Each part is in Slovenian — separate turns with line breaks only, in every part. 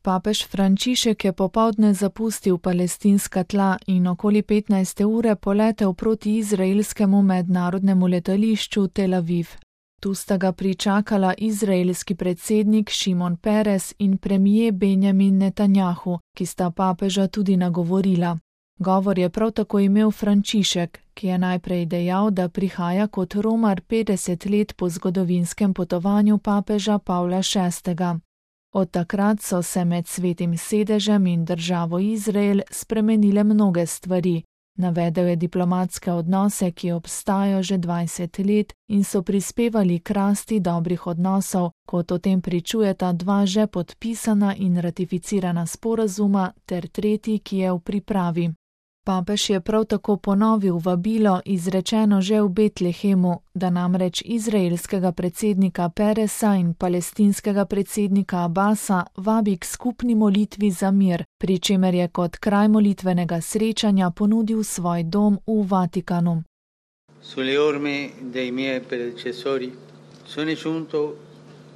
Papež Frančišek je popoldne zapustil palestinska tla in okoli 15. ure poletel proti izraelskemu mednarodnemu letališču Tel Aviv. Tu sta ga pričakala izraelski predsednik Šimon Peres in premijer Benjamin Netanjahu, ki sta papeža tudi nagovorila. Govor je prav tako imel Frančišek, ki je najprej dejal, da prihaja kot romar 50 let po zgodovinskem potovanju papeža Pavla VI. Od takrat so se med Svetim sedežem in državo Izrael spremenile mnoge stvari. Navedel je diplomatske odnose, ki obstajajo že 20 let in so prispevali k rasti dobrih odnosov, kot o tem pričujeta 2 že podpisana in ratificirana sporazuma ter tretji, ki je v pripravi. Papež je prav tako ponovil vabilo, izrečeno že v Betlehemu, da namreč izraelskega predsednika Peresa in palestinskega predsednika Abasa vabi k skupni molitvi za mir, pri čemer je kot kraj molitvenega srečanja ponudil svoj dom v Vatikanu.
Sulle orme dei miei predecessori sono giunto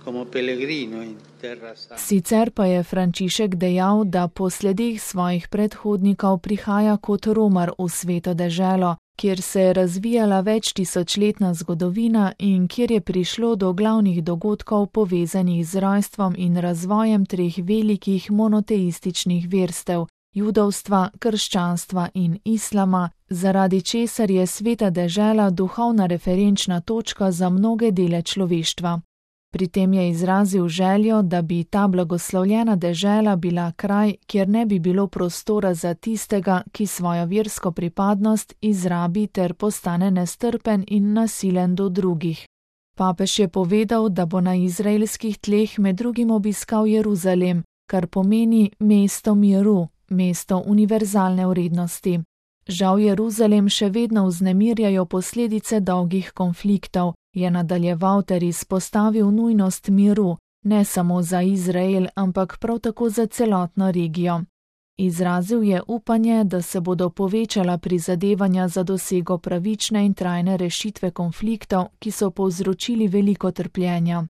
come pellegrino in terra santa.
Sicer pa je Frančišek dejal, da po sledih svojih predhodnikov prihaja kot romar v sveto deželo, kjer se je razvijala več tisočletna zgodovina in kjer je prišlo do glavnih dogodkov povezanih z rojstvom in razvojem 3 velikih monoteističnih verstev, judovstva, krščanstva in islama, zaradi česar je sveta dežela duhovna referenčna točka za mnoge dele človeštva. Pri tem je izrazil željo, da bi ta blagoslovljena dežela bila kraj, kjer ne bi bilo prostora za tistega, ki svojo versko pripadnost izrabi ter postane nestrpen in nasilen do drugih. Papež je povedal, da bo na izraelskih tleh med drugim obiskal Jeruzalem, kar pomeni mesto miru, mesto univerzalne vrednosti. Žal Jeruzalem še vedno vznemirjajo posledice dolgih konfliktov, je nadaljeval ter izpostavil nujnost miru, ne samo za Izrael, ampak prav tako za celotno regijo. Izrazil je upanje, da se bodo povečala prizadevanja za dosego pravične in trajne rešitve konfliktov, ki so povzročili veliko trpljenja.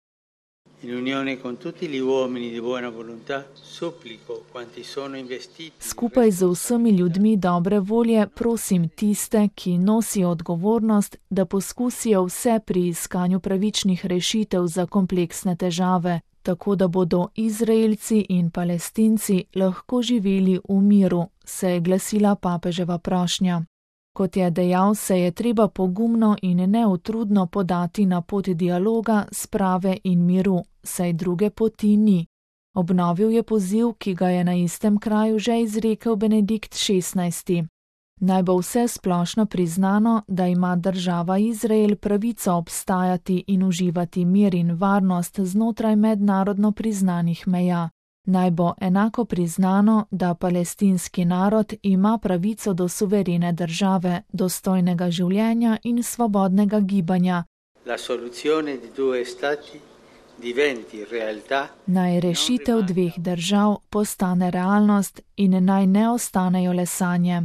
Skupaj z vsemi ljudmi dobre volje prosim tiste, ki nosijo odgovornost, da poskusijo vse pri iskanju pravičnih rešitev za kompleksne težave, tako da bodo Izraelci in Palestinci lahko živeli v miru, se je glasila papeževa prošnja. Kot je dejal, se je treba pogumno in neutrudno podati na pot dialoga, sprave in miru, saj druge poti ni. Obnovil je poziv, ki ga je na istem kraju že izrekel Benedikt XVI. Naj bo vse splošno priznano, da ima država Izrael pravico obstajati in uživati mir in varnost znotraj mednarodno priznanih meja. Naj bo enako priznano, da palestinski narod ima pravico do suverene države, dostojnega življenja in svobodnega gibanja. Naj rešitev 2 držav postane realnost in naj ne ostanejo le sanje.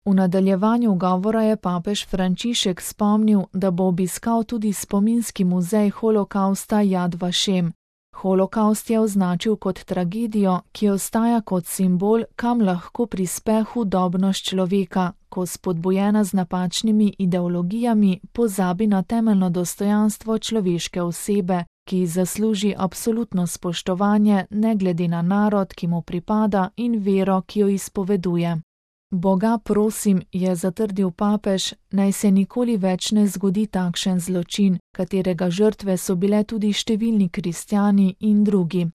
V nadaljevanju govora je papež Frančišek spomnil, da bo obiskal tudi spominski muzej holokausta Jad Vašem. Holokaust je označil kot tragedijo, ki ostaja kot simbol, kam lahko prispe hudobnost človeka, ko spodbujena z napačnimi ideologijami pozabi na temeljno dostojanstvo človeške osebe, ki zasluži absolutno spoštovanje ne glede na narod, ki mu pripada, in vero, ki jo izpoveduje. Boga prosim, je zatrdil papež, naj se nikoli več ne zgodi takšen zločin, katerega žrtve so bile tudi številni kristjani in drugi.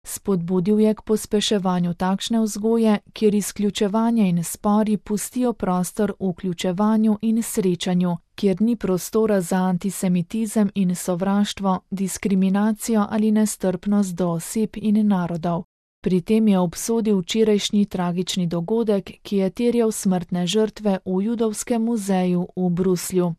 Spodbudil je k pospeševanju takšne vzgoje, kjer izključevanje in spori pustijo prostor vključevanju in srečanju, kjer ni prostora za antisemitizem in sovraštvo, diskriminacijo ali nestrpnost do oseb in narodov. Pri tem je obsodil včerajšnji tragični dogodek, ki je terjal smrtne žrtve v Judovskem muzeju v Bruslju.